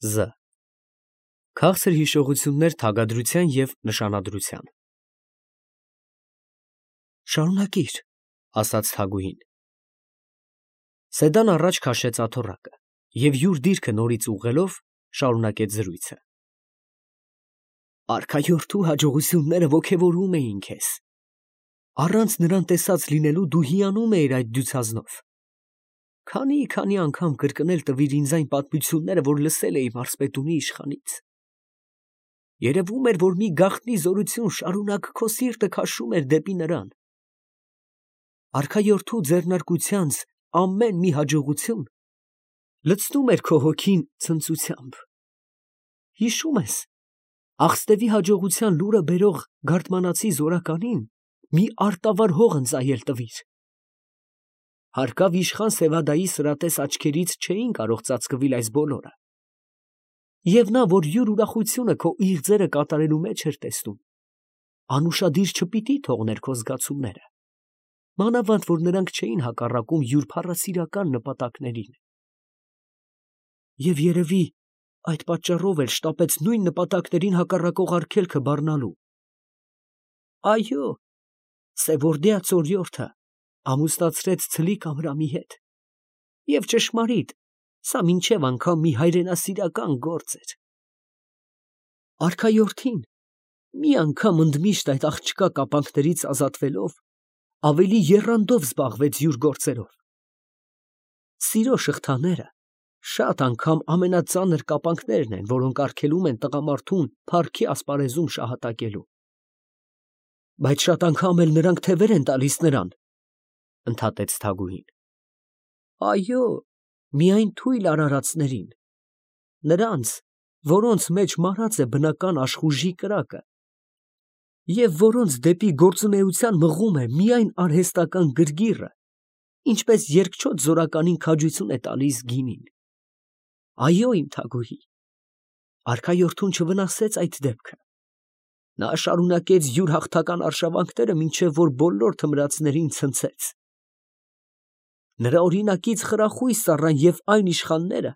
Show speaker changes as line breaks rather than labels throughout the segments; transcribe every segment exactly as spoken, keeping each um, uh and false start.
Զ. Քաղցր հիշողություններ թագադրության և նշանադրության։ Շարունակիր, ասաց Թագուհին։ Սեդան առաջ քաշեց աթոռակը և յուր դիրքը նորից ուղղելով, շարունակեց զրույցը. Արքայորդու հաջողությունները ոգևորում էին քեզ. առանց նրան տեսած լինելու դու հիանում էիր այդ դյուցազնով. քանի՜֊քանի՜ անգամ կրկնել տվիր ինձ այն պատմությունները, որ լսել էի մարզպետունի իշխանից. երևում էր, որ մի գաղտնի զորություն շարունակ քո սիրտը քաշում էր դեպի նրան. արքայորդու ձեռնարկությանց ամեն մի հաջողություն լցնում էր քո հոգին ցնծությամբ. հիշո՞ւմ ես, Աղստևի հաջողության լուրը բերող գարդմանացի զորականին մի արտավար հող ընծայել տվիր. հարկավ իշխան Սևադայի սրատես աչքերից չէին կարող ծածկվել այս բոլորը, և նա, որ յուր ուրախությունը քո իղձերը կատարելու մեջ էր տեսնում, անուշադիր չպիտի թողներ քո զգացումները, մանավանդ որ նրանք չէին հակառակում յուր փառասիրական նպատակներին. և երևի այդ պատճառով էլ շտապեց նույն նպատակներին հակառակող արգելքը բառնալու. այո, Սևորդյա Ծորյորթը ամուսնացրեց ցլիկ Ամրամի հետ, և ճշմարիտ, սա մինչև անգամ մի հայրենասիրական գործ էր. արքայորդին մի անգամ ընդմիշտ այդ աղջկա կապանքներից ազատվելով, ավելի եռանդով զբաղվեց յուր գործերով. սիրո շղթաները շատ անգամ ամենածանր կապանքներն են, որոնք արգելում են տղամարդուն փառքի ասպարեզում շահատակելու։ Բայց շատ անգամ էլ նրանք թևեր են տալիս նրան, ընդհատեց Թագուհին։ Այո, միայն թույլ արարածներին, նրանց, որոնց մեջ մարած է բնական աշխուժի կրակը, և որոնց դեպի գործունեության մղում է միայն արհեստական գրգիռը, ինչպես երկչոտ զորականին քաջություն է տալիս գինին։ Այո, իմ Թագուհի, արքայորդուն չվնասեց այդ դեպքը. նա շարունակեց յուր հաղթական արշավանքները, մինչև որ բոլոր թմրածներին ցնցեց։ Նրա օրինակից խրախույս առան և այն իշխանները,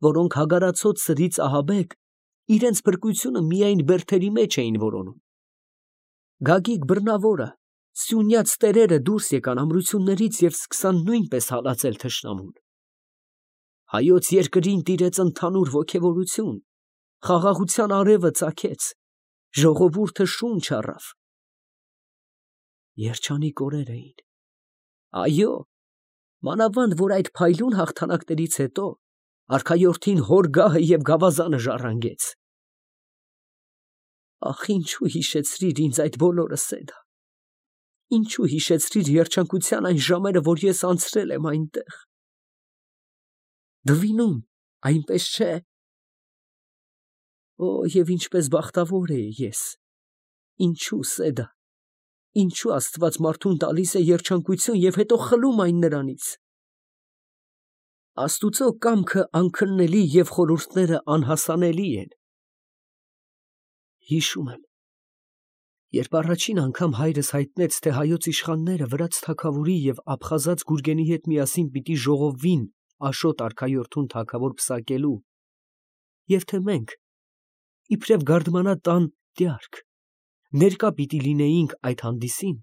որոնք հագարացած սրից ահաբեկ իրենց փրկությունը միայն բերդերի մեջ էին որոնում։ Գագիկ բռնավորը, սյունյաց տերերը դուրս եկան ամրություններից և սկսան նույնպես հալածել թշնամուն։ Հայոց երկրին տիրեց ընդհանուր ոգևորություն, խաղաղության արևը ծագեց, ժողովուրդը շունչ առավ։ Երջանիկ օրեր էին։ Այո, մանավանդ որ այդ փայլուն հաղթանակներից հետո արքայորդին հոր գահը և գավազանը ժառանգեց։ Ախ, ինչու հիշեցրիր ինձ այդ բոլորը, Սեդա, ինչու հիշեցրիր երջանկության այն ժամերը, որ ես անցրել եմ այնտեղ։ Դվինում, այնպես չէ։ Օ, և ինչպես բախտավոր էի ես, ինչու, Սեդա, ինչու Աստված մարդուն տալիս է երջանկություն և հետո խլում այն նրանից։ Աստուծո կամքը անքննելի և խորհուրդները անհասանելի են։ Հիշում եմ, երբ առաջին անգամ հայրս հայտնեց, թե հայոց իշխանները վրաց թագավորի և աբխազաց Գուրգենի հետ միասին պիտի ժողովվին Աշոտ արքայորդուն թագավոր պսակելու, և թե մենք, իբրև գարդմանա տան տյարք, ներկա պիտի լինեինք այդ հանդիսին,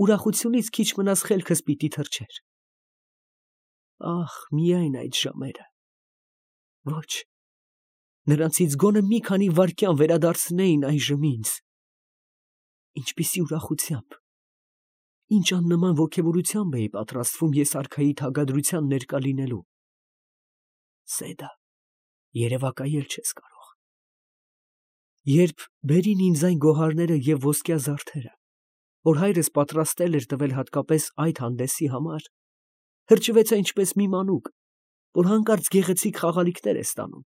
ուրախությունից քիչ մնաց խելքս պիտի թռչեր։ Ախ, միայն այդ ժամերը։ Ոչ, նրանցից գոնե մի քանի վայրկյան վերադարձնեին այժմ ինձ։ Ինչպիսի ուրախությամբ, ինչ աննման ոգևորությամբ էի պատրաստվում ես արքայի թագադրության ներկա լինելու։ Սեդա, երևակայել չես կարող։ Երբ բերին ինձ այն գոհարները և ոսկյա զարդերը, որ հայրս պատրաստել էր տվել հատկապես այդ հանդեսի համար, հրճվեցա ինչպես մի մանուկ, որ հանկարծ գեղեցիկ խաղալիքներ է ստանում,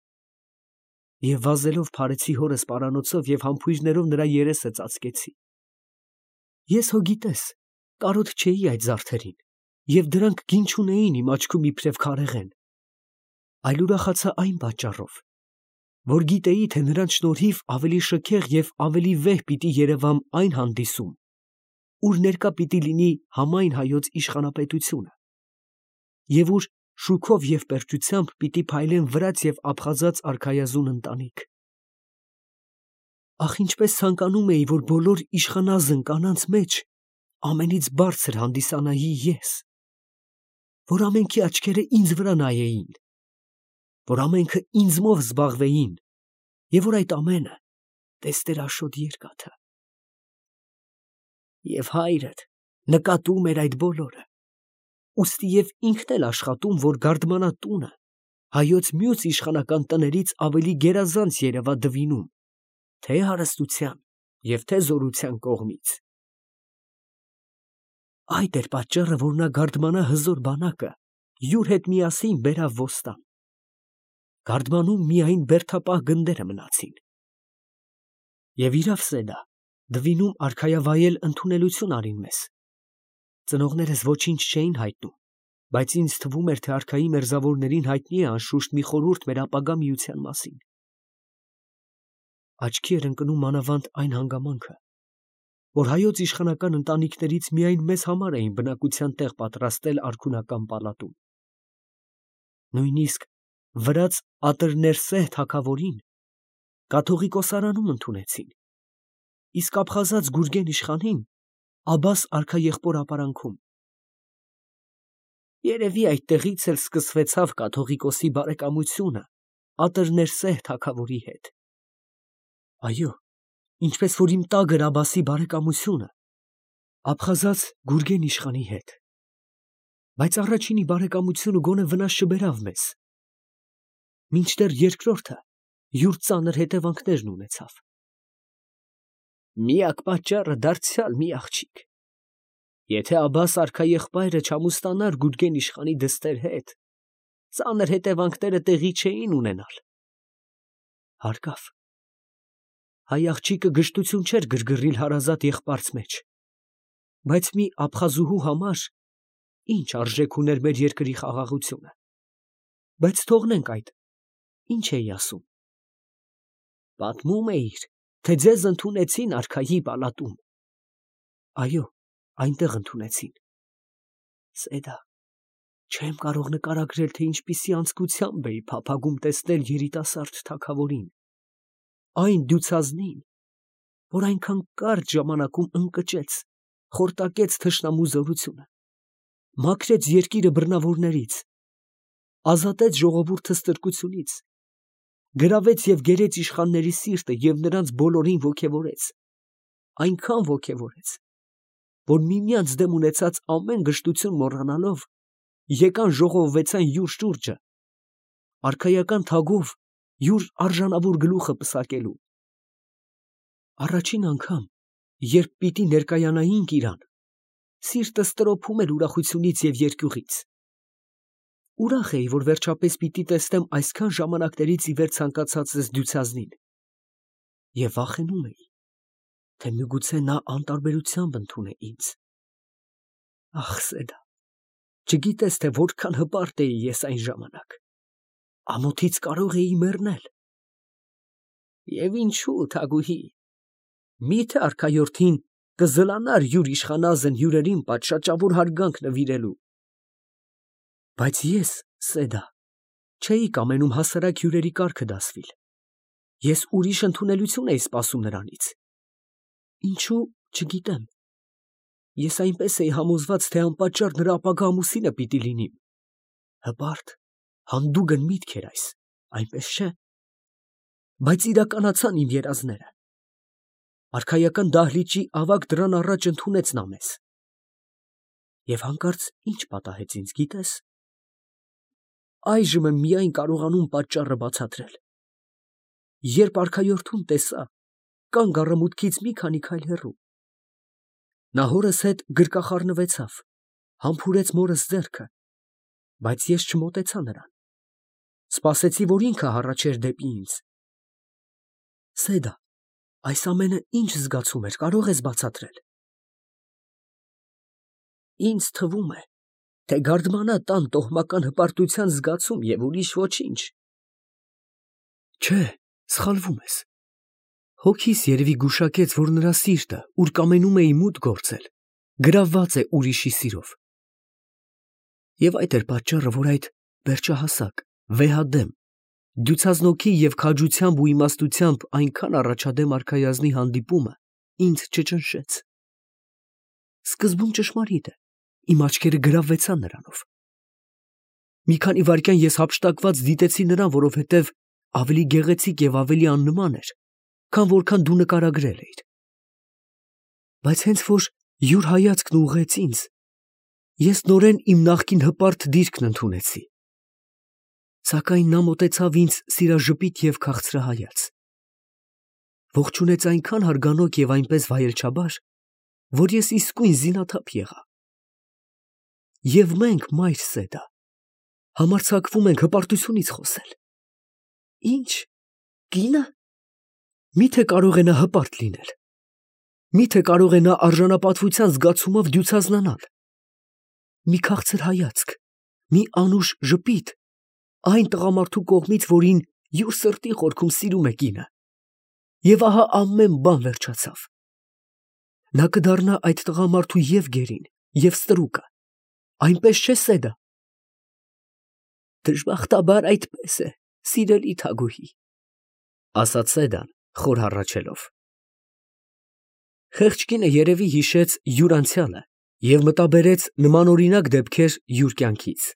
և վազելով փարեցի հորս պարանոցով և համբույրներով նրա երեսը ծածկեցի։ Ես հո գիտես, կարոտ չէի այդ զարդերին, և դրանք գին չունեին իմ աչքում իբրև քարեղեն, այլ ուրախացա այն պատճառով, որ գիտեի, թե նրանց շնորհիվ ավելի շքեղ և ավելի վեհ պիտի երևամ այն հանդիսում, ուր ներկա պիտի լինի համայն հայոց իշխանապետությունը, և ուր շուքով և պերճությամբ պիտի փայլեն վրաց և ափխազած արքայազուն ընտանիք։ Ախ, ինչպես ցանկանում էի, որ բոլոր իշխանազն կանանց մեջ ամենից բարձր հանդիսանայի ես, որ ամենքի աչքերը ինձ վրա նայեին, որ ամենքը ինձմով զբաղվեին, և որ այդ ամենը տեսներ Աշոտ երկաթը։ Եվ հայրդ նկատում էր այդ բոլորը, ուստի և ինքն էլ աշխատում, որ գարդմանա տունը հայոց մյուս իշխանական տներից ավելի գերազանց երևա Դվինում, թե հարստության և թե զորության կողմից։ Այդ էր պատճառը, որ նա գարդմանա հզոր բանակը յուր հետ միասին բերավ ոստան։ Գարդմանում միայն բերդապահ գնդերը մնացին։ Եվ իրավ Սեդա, Դվինում արքայավայել ընդունելություն արին մեզ։ Ծնողներս ոչինչ չէին հայտնում, բայց ինձ թվում էր, թե արքայի մերձավորներին հայտնի է անշուշտ մի խորհուրդ մեր ապագա միության մասին։ Աչքի էր ընկնում մանավանդ այն հանգամանքը, որ հայոց իշխանական ընտանիքներից միայն մեզ համար էին բնակության տեղ պատրաստել արքունական պալատում։ Նույնիսկ վրաց Ատրներսեհ թագավորին կաթողիկոսարանում ընդունեցին, իսկ ափխազած Գուրգեն իշխանին Աբբաս արքաեղբոր ապարանքում։ Երևի այդտեղից էլ սկսվեցավ կաթողիկոսի բարեկամությունը Ատրներսեհ թագավորի հետ։ Այո, ինչպես որ իմ տագր Աբբասի բարեկամությունը ափխազած Գուրգեն իշխանի հետ, բայց առաջինի բարեկամությունը գոնե վնաս չբերավ մեզ, մինչդեռ երկրորդը յուր ծանր հետևանքներն ունեցավ։ Միակ պատճառը դարձյալ մի աղջիկ։ Եթե Աբբաս արքաեղբայրը չամուսնանար Գուրգեն իշխանի դստեր հետ, ծանր հետևանքները տեղի չէին ունենալ։ Հարկավ, հայ աղջիկը գժտություն չէր գրգռիլ հարազատ եղբայրց մեջ, բայց մի ափխազուհու համար ինչ արժեք ուներ մեր երկրի խաղաղությունը։ Բայց թողնենք այդ, ինչ էի ասում։ Պատմում էիր, թե ձեզ ընդունեցին արքայի պալատում։ Այո, այնտեղ ընդունեցին։ Սեդա, չեմ կարող նկարագրել, թե ինչպիսի անձկությամբ էի փափագում տեսնել երիտասարդ թագավորին, այն դյուցազնին, որ այնքան կարճ ժամանակում ընկճեց, խորտակեց թշնամու զորությունը, մաքրեց երկիրը բռնավորներից, ազատեց ժողովուրդը ստրկությունից, գրավեց և գերեց իշխանների սիրտը և նրանց բոլորին ոգևորեց, այնքան ոգևորեց, որ միմյանց դեմ ունեցած ամեն գժտություն մոռանալով, եկան ժողովվեցան յուր շուրջը, արքայական թագով յուր արժանավոր գլուխը պսակելու։ Առաջին անգամ, երբ պիտի ներկայանայինք իրան, սիրտս տրոփում էր ուրախությունից և երկյուղից։ Ուրախ էի, որ վերջապես պիտի տեսնեմ այսքան ժամանակներից ի վեր ցանկացածս դյուցազնին, և վախենում էի, թե միգուցե նա անտարբերությամբ ընդունե ինձ։ Ախ, Սեդա, չգիտես, թե որքան հպարտ էի ես այն ժամանակ, ամոթից կարող էի մեռնել։ Եվ ինչու, թագուհի, մի՞թե արքայորդին կզլանար յուր իշխանազն հյուրերին պատշաճավոր հարգանք նվիրելու։ Բայց ես, Սեդա, չէի կամենում հասարակ հյուրերի կարգը դասվիլ։ Ես ուրիշ ընդունելություն էի սպասում նրանից։ Ինչու, չգիտեմ։ Ես այնպես էի համոզված, թե անպատճառ նրա ապագա ամուսինը պիտի լինիմ։ Հպարտ, հանդուգն միտք էր այս, այնպես չէ։ Բայց իրականացան իմ երազները։ Արքայական դահլիճի ավագ դռան առաջ ընդունեց նա մեզ։ Եվ հանկարծ ինչ պատահեց ինձ, գիտես։ Այժմ եմ միայն կարողանում պատճառը բացատրել։ Երբ արքայորդուն տեսա, կանգ առա մուտքից մի քանի քայլ հեռու։ Նա հորս հետ գրկախառնվեցավ, համբուրեց մորս ձեռքը, բայց ես չմոտեցա նրան։ Սպասեցի, որ ինքը հառաչեր դեպի ինձ։ Սեդա, այս ամենը ինչ զգացում էր, կարող ես բացատրել։ Ինձ թվում է, թե գարդմանա տան տոհմական հպարտության զգացում և ուրիշ ոչինչ։ Չէ, սխալվում ես։ Հոգիս երևի գուշակեց, որ նրա սիրտը, ուր կամենում էի մուտք գործել, գրավված է ուրիշի սիրով։ Եվ այդ էր պատճառը, որ այդ Վերջահասակ, վեհադեմ, դյուցազնոքի և քաջությամբ ու իմաստությամբ այնքան առաջադեմ արքայազնի հանդիպումը ինձ չճնշեց։ Սկզբում ճշմարիտ է, իմ աչքերը գրավվեցան նրանով։ Մի քանի վայրկյան ես հափշտակված դիտեցի նրան, որովհետև ավելի գեղեցիկ և ավելի աննման էր, քան որքան դու նկարագրել էիր։ Բայց հենց որ յուր հայացքն ուղղեց ինձ, ես նորեն իմ նախկին հպարտ դիրքն ընդունեցի։ Սակայն նա մոտեցավ ինձ սիրաժպիտ և քաղցրահայաց, ողջունեց այնքան հարգանոք և այնպես վայելչաբար, որ ես իսկույն զինաթափ եղա։ Եվ մենք, մայր Սեդա, համարձակվում ենք հպարտությունից խոսել։ Ի՞նչ, կինը։ Մի՞թե կարող է նա հպարտ լինել։ Մի՞թե կարող է նա արժանապատվության զգացումով դյուցազնանալ։ Մի քաղցր հայացք, մի անուշ ժպիտ այն տղամարդու կողմից, որին յուր սրտի խորքում սիրում է կինը։ Եվ ահա ամեն բան վերջացավ։ Նա կդառնա այդ տղամարդու և գերին, և ստրուկը։ Այնպես չէ՞, Սեդա։ Դժբախտաբար այդպես է, սիրելի Թագուհի, ասաց Սեդան խոր հառաչելով։ Խեղճ կինը երևի հիշեց յուր անցյալը և մտաբերեց նմանօրինակ դեպքեր յուր կյանքից։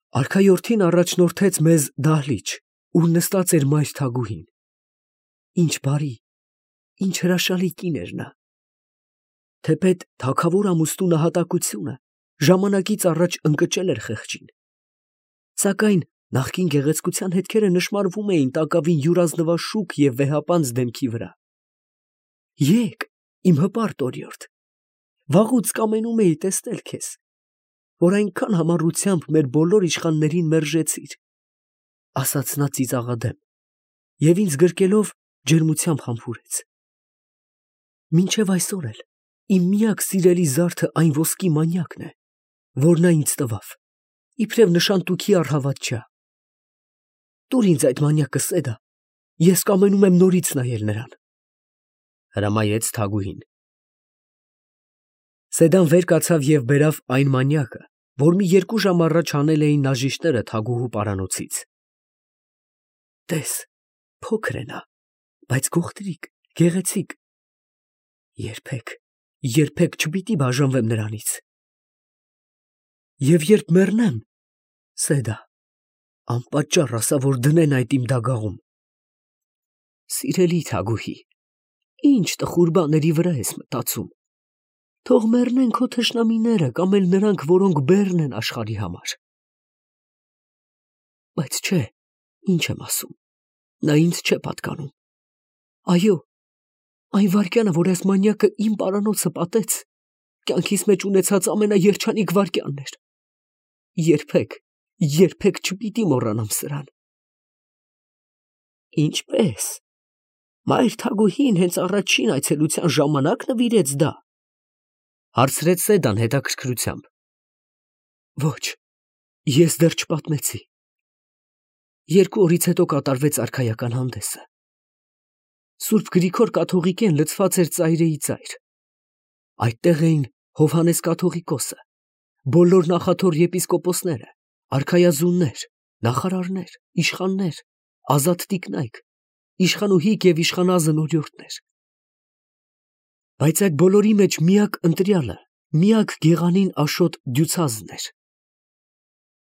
Արքայորդին առաջնորդեց մեզ դահլիճ, ուր նստած էր մայր Թագուհին։ Ինչ բարի, ինչ հրաշալի կին էր նա։ Թեպետ թագավոր ամուսնու նահատակությունը ժամանակից առաջ ընկճել էր խեղճին։ Սակայն նախկին գեղեցկության հետքերը նշմարվում էին տակավին յուր ազնվաշուք և վեհապանծ դեմքի վրա։ Եկ, իմ հպարտ օրիորդ, վաղուց կամենում էի տեսնել քեզ, որ այնքան համառությամբ մեր բոլոր իշխաններին մերժեցիր, ասաց նա ծիծաղադեմ և ինձ գրկելով ջերմությամբ համբուրեց։ Մինչև այսօր էլ իմ միակ սիրելի զարդը այն ոսկի մանյակն է, որ նա ինձ տվավ, իբրև նշան տուքի առհավատչյա։ Տուր ինձ այդ մանյակը, Սեդա, ես կամենում եմ նորից նայել նրան, հրամայեց Թագուհին։ Սեդան վեր կացավ և բերավ այն մանյակը, որ մի երկու ժամ առաջ հանել էին նաժիշտները թագուհու պարանոցից։ Տես, փոքր է նա, բայց գողտրիկ, գեղեցիկ։ Երբեք, երբեք չպիտի բաժանվեմ նրանից։ Եվ երբ մեռնեմ, Սեդա, անպատճառ ասա, որ դնեն այդ իմ դագաղում։ Սիրելի Թագուհի, ինչ տխուր բաների վրա ես մտածում։ Թող մեռնեն քո թշնամիները կամ էլ նրանք, որոնք բեռն են աշխարհի համար։ Բայց չէ, ինչ եմ ասում, նա ինձ չէ պատկանում։ Այո, այն վայրկյանը, որ այս մանյակը իմ պարանոցը պատեց, կյանքիս մեջ ունեցած ամենաերջանիկ վայրկյանն էր։ Երբեք, երբեք չպիտի մոռանամ սրան։ Ինչպե՞ս։ Մայր Թագուհին հենց առաջին այցելության ժամանակ նվիրեց դա, հարցրեց Սեդան հետաքրքրությամբ։ Ոչ, ես դեռ չպատմեցի։ Երկու օրից հետո կատարվեց արքայական հանդեսը։ Սուրբ Գրիգոր կաթողիկեն լցված էր ծայրեի ծայր։ Այդտեղ էին Հովհաննես կաթողիկոսը, բոլոր նախաթոր եպիսկոպոսները, արքայազուններ, նախարարներ, իշխաններ, ազատ տիկնայք, իշխանուհիք և իշխանազն օրիորդներ։ Բայց այդ բոլորի մեջ միակ ընտրյալը, միակ գեղանին Աշոտ դյուցազն էր։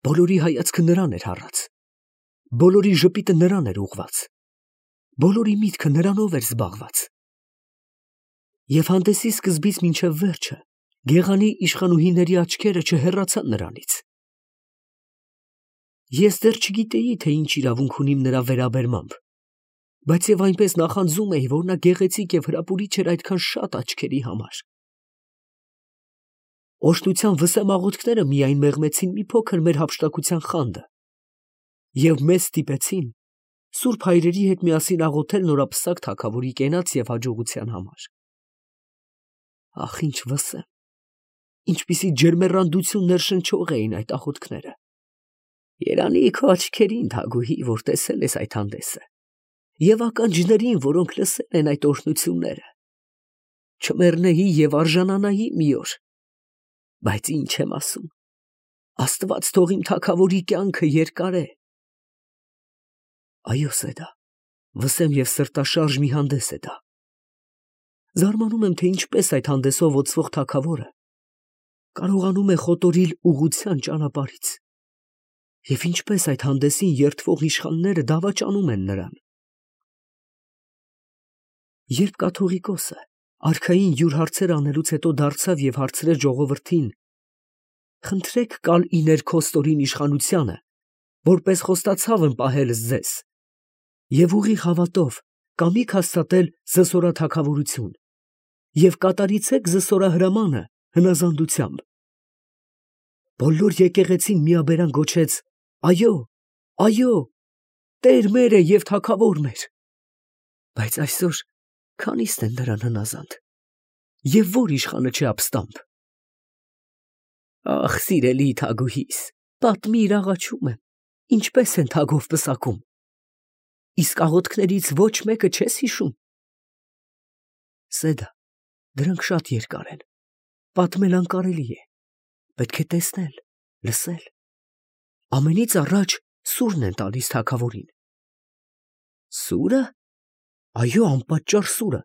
Բոլորի հայացքը նրան էր հառած, բոլորի ժպիտը նրան էր ուղղված, բոլորի միտքը նրանով էր զբաղված։ Եվ հանդեսի սկզբից մինչև վերջը գեղանի իշխանուհիների աչքերը չհեռացան նրանից։ Ես դեռ չգիտեի, թե ինչ իրավունք ունիմ նրա վերաբերմամբ, բայց և այնպես նախանձում էի, որ նա գեղեցիկ և հրապուրիչ էր այդքան շատ աչքերի համար։ Օժտության վսեմ աղոթքները միայն մեղմեցին մի փոքր մեր հափշտակության խանդը և մեզ ստիպեցին սուրբ հայրերի հետ միասին աղոթել նորապսակ թագավորի կենաց և հաջողության համար։ Ախ, ինչ վսեմ, ինչպիսի ջերմեռանդություն ներշնչող էին այդ աղոթքները։ Երանի քո աչքերին, Թագուհի, որ տեսել ես այդ հանդեսը, և ականջներին, որոնք լսել են այդ օրհնությունները։ Չմեռնեի և արժանանայի մի օր, բայց ինչ եմ ասում, Աստված թող իմ թագավորի կյանքը երկար է։ Այո, Սեդա, վսեմ և սրտաշարժ մի հանդես է դա։ Զարմանում եմ, թե ինչպես այդ հանդեսով օծվող թագավորը կարողանում է խոտորիլ ուղղության ճանապարհից, և ինչպես այդ հանդեսին երդվող իշխանները դավաճանում են նրան։ Երբ կաթողիկոսը արքային յուր հարցեր անելուց հետո դարձավ և հարցրեց ժողովրդին. «Խնդրեք կալ իներ քո ստորին իշխանությանը, որպես խոստացավ եմ պահել ձեզ, և ուղիղ հավատով կամիք հաստատել զսորա թագավորություն, և կատարիցեք զսորահրամանը հնազանդությամբ»։ Բոլոր եկեղեցին միաբերան գոչեց. «Այո, այո, Տեր մեր է և թագավոր մեր»։ Բայց այսօր քանի՞ստ են նրան հնազանդ, և ո՞ր իշխանը չէ ապստամբ։ Ախ, սիրելի թագուհիս, պատմիր, աղաչում եմ, ինչպես են թագով պսակում։ Իսկ աղոթքներից ոչ մեկը չես հիշում։ Սեդա, դրանք շատ երկար են, պատմել անկարելի է, պետք է տեսնել, լսել։ Ամենից առաջ սուրն են տալիս թագավորին։ Սուրը։ Այո, անպատճառ սուրը,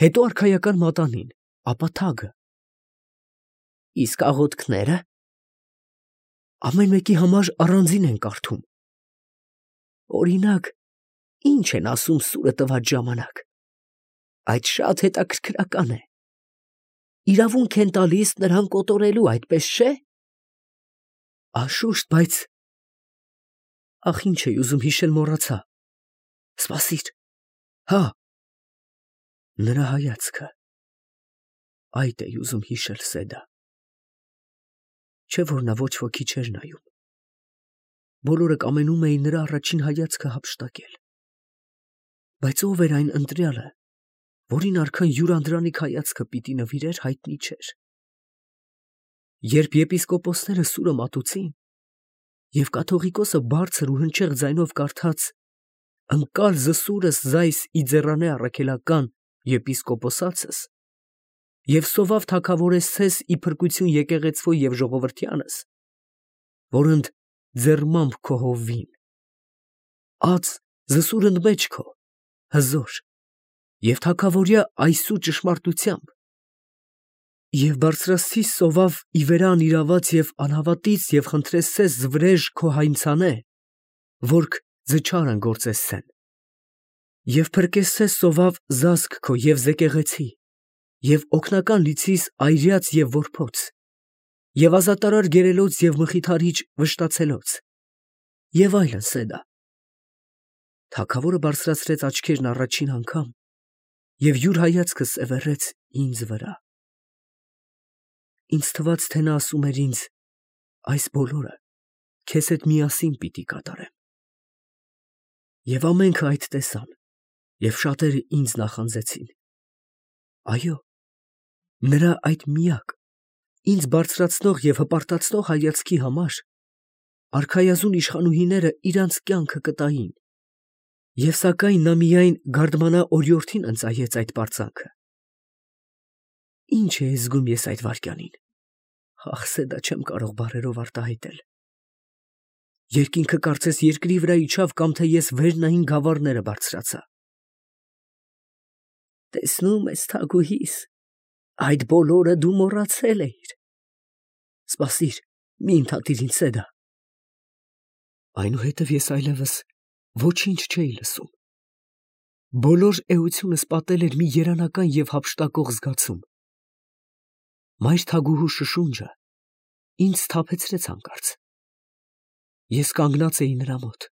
հետո արքայական մատանին, ապա թագը։ Իսկ աղոթքները։ Ամեն մեկի համար առանձին են կարդում։ Օրինակ, ինչ են ասում սուրը տված ժամանակ։ Այդ շատ հետաքրքրական է։ Իրավունք են տալիս նրան կոտորելու, այդպես չէ՞։ Անշուշտ, բայց… Ախ, ինչ էի ուզում հիշել, մոռացա։ Սպասիր, հա… Նրա հայացքը… Այդ էի ուզում հիշել, Սեդա։ Չէ՞ որ նա ոչ ոքի չէր նայում։ Բոլորը կամենում էին նրա առաջին հայացքը հափշտակել։ Բայց ով էր այն ընտրյալը, որին արքան յուրանդրանիկ հայացքը պիտի նվիրեր, հայտնի չէր։ Երբ եպիսկոպոսները սուրը մատուցին, և կաթողիկոսը բարձր ու հնչեղ ձայնով կարդաց. «Ընկալ զսուրս զայս իձեռանե առաքելական եպիսկոպոսացս, և սովավ թագավորեսցես ի փրկություն եկեղեցվո և ժողովրդյանս, որընդ ձեռմամբ քո հովվին, ած զսուրըն մեջ քո, հզոր, և թագավորյա այսու ճշմարտությամբ, և բարձրաստի սովավ ի վերան իրաված և անհավատից և խնդրեսցես զվրեժ քո հայնցանե, որք ձչարն գործեսցեն, և փրկեսցես սովավ զազք քո և զեկեղեցի, և օգնական լիցիս այրյաց և որբոց, և ազատարար գերելոց և մխիթարիչ վշտացելոց, և այլն, Սեդա»։ Թագավորը բարձրացրեց աչքերն առաջին անգամ և յուր հայացքը սևեռեց ինձ վրա։ Ինձ թվաց, թե նա ասում էր ինձ. «Այս բոլորը քեզ հետ միասին պիտի կատարեմ»։ Եվ ամենքը այդ տեսան, և շատերը ինձ նախանձեցին։ Այո, նրա այդ միակ, ինձ բարձրացնող և հպարտացնող հայացքի համար արքայազուն իշխանուհիները իրանց կյանքը կտային, և սակայն նա միայն գարդմանա օրիորդին ընծայեց այդ պարծանքը։ Ինչ էի զգում ես այդ վայրկյանին։ Ախ, Սեդա, չեմ կարող բառերով արտահայտել։ Երկինքը կարծես երկրի վրա իջավ, կամ թե ես վերնային գավառները բարձրացա։ Տեսնում ես, թագուհիս, այդ բոլորը դու մոռացել էիր։ Սպասիր, մի ընդհատիր ինձ, Սեդա։ Այնուհետև ես այլևս ոչինչ չէի լսում։ Բոլոր էությունս պատել էր մի երանական և հափշտակող զգացում։ Մայր թագուհու շշունջը ինձ սթափեցրեց հանկարծ։ Ես կանգնած էի նրա մոտ։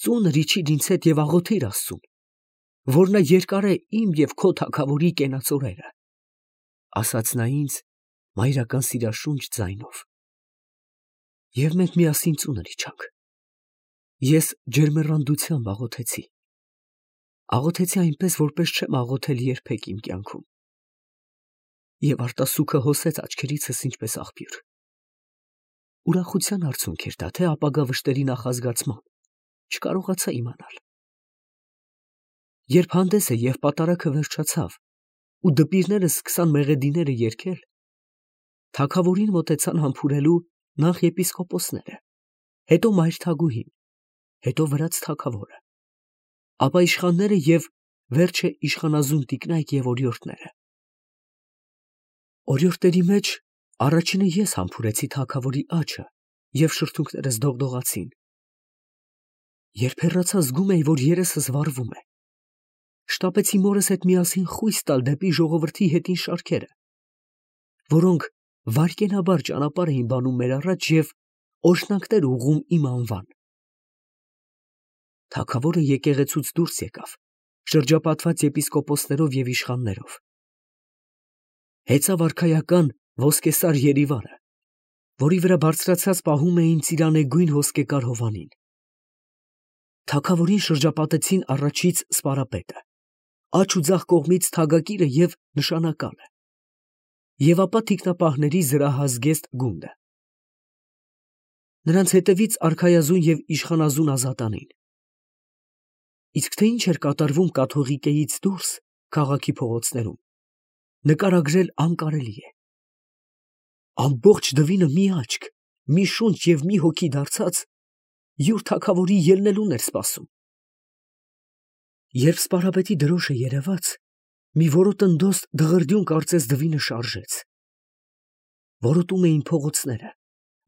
Ծունր իջիր ինձ հետ և աղոթիր Աստծուն, որ նա երկարե իմ և քո թագավորի կենաց օրերը, ֊ ասաց նա ինձ մայրական սիրաշունչ ձայնով։ Եվ մենք միասին ծունր իջանք։ Ես ջերմեռանդությամբ աղոթեցի։ Աղոթեցի այնպես, որպես չեմ աղոթել երբեք իմ կյանքում։ Եվ արտասուքը հոսեց աչքերիցս ինչպես աղբյուր։ Ուրախության արցունք էր դա, թե ապագա վշտերի նախազգացման, չկարողացա իմանալ։ Երբ հանդեսը և պատարագը վերջացավ, ու դպիրները սկսան մեղեդիները երգել, Թագավորին մոտեցան համբուրելու նախ եպիսկոպոսները, հետո մայրթագուհին, հետո վրաց թագավորը, ապա իշխանները և վերջը իշխանազուն տիկնայք և օրիորդները։ Օրիորդների մեջ առաջինը ես համբուրեցի թագավորի աջը և շրթունքներս դողդողացին։ Երբ հեռացա, զգում էի, որ երեսս վառվում է։ Շտապեցի մորս հետ միասին խույս տալ դեպի ժողովրդի հետին շարքերը, որոնք վայրկենաբար ճանապարհ էին բանում մեր առաջ և օրհնանքներ ուղղում իմ անվան։ Թագավորը եկեղեցուց դուրս եկավ, շրջապատված եպիսկոպոսներով և իշխաններով։ Հեծավ արքայական ոսկեսար երիվարը, որի վրա բարձրացած պահում էին ծիրանեգույն ոսկեկար հովանին։ Թագավորին շրջապատեցին առաջից սպարապետը, աջ ու ձախ կողմից թագակիրը և նշանակալը, և ապա թիկնապահների զրահազգեստ գունդը։ Նրանց հետևից արքայազուն և իշխանազուն ազատանին։ Իսկ թե ինչ էր կատարվում կաթողիկեից դուրս քաղաքի փողոցներում, նկարագրել անկարելի է։ Ամբողջ դվինը մի աչք, մի շունչ և մի հոգի դարձած, յուր թագավորի ելնելուն էր սպասում։ Երբ սպարապետի դրոշը երևաց, մի որոտնդոստ դղրդյուն կարծես դվինը շարժեց։ Որոտում էին փողոցները,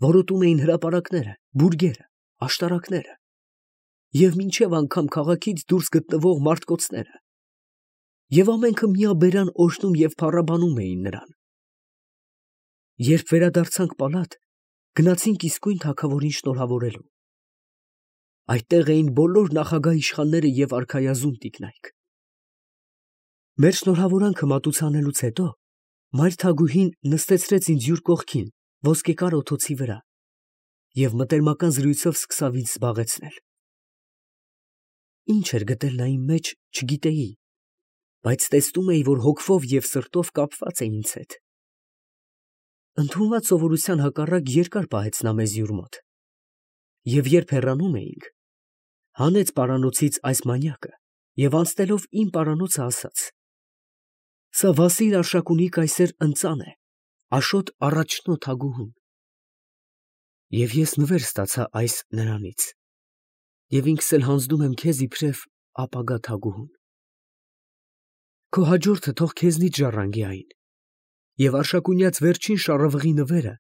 որոտում էին հրապարակները, բուրգերը, աշտարակները և մինչև անգամ քաղաքից դուրս գտնվող մարտկոցները, և ամենքը միաբերան օրհնում և փառաբանում էին նրան։ Երբ վերադարձանք պալատ, գնացինք իսկույն թագավորին շնորհավորելու։ Այդտեղ էին բոլոր նախագահ իշխանները և արքայազուն տիկնայք։ Մեր շնորհավորանքը մատուցանելուց հետո մայրթագուհին նստեցրեց ինձ յուր կողքին ոսկեկար օթոցի վրա և մտերմական զրույցով սկսավ ինձ զբաղեցնել։ Ինչ էր գտել նա իմ մեջ, չգիտեի, բայց տեսնում էի, որ հոգվով և սրտով կապված է ինձ հետ։ Ընդունված սովորության հակառակ երկար պահեց նա մեզ յուր մոտ, և երբ հեռանում էինք, հանեց պարանոցից այս մանյակը և անցնելով իմ պարանոցը ասաց. «Սա Վասիլ Արշակունի կայսեր ընծան է, Աշոտ առաջնո թագուհուն»։ Եվ ես նվեր ստացա այս նրանից, և ինքս էլ հանձնում եմ քեզ իբրև ապագա թագուհուն։ Քո հաջորդը թող քեզնից ժառանգի այն, և Արշակունյաց վերջին շառավղի նվերը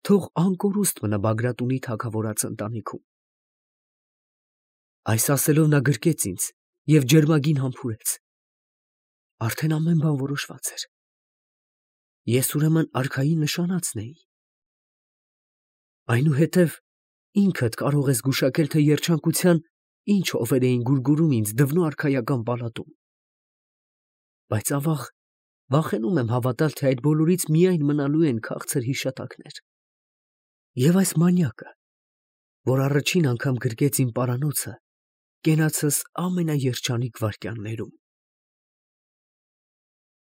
թող անկորուստ մնա Բագրատունի թագավորած ընտանիքում։ Այս ասելով նա գրկեց ինձ և ջերմագին համբուրեց։ Արդեն ամեն բան որոշված էր։ Ես ուրեմն արքայի նշանածն էի։ Այնուհետև ինքդ կարող ես գուշակել, թե երջանկության ինչ հովեր էին գուրգուրում ինձ դվնո արքայական պալատում։ Բայց ավաղ, վախենում եմ հավատալ, թե այդ բոլորից միայն մնալու են քաղցր հիշատակներ։ Եվ այս մանյակը, որ առաջին անգամ գրկեց իմ պարանոցը կենացս ամենաերջանիկ վայրկյաններում։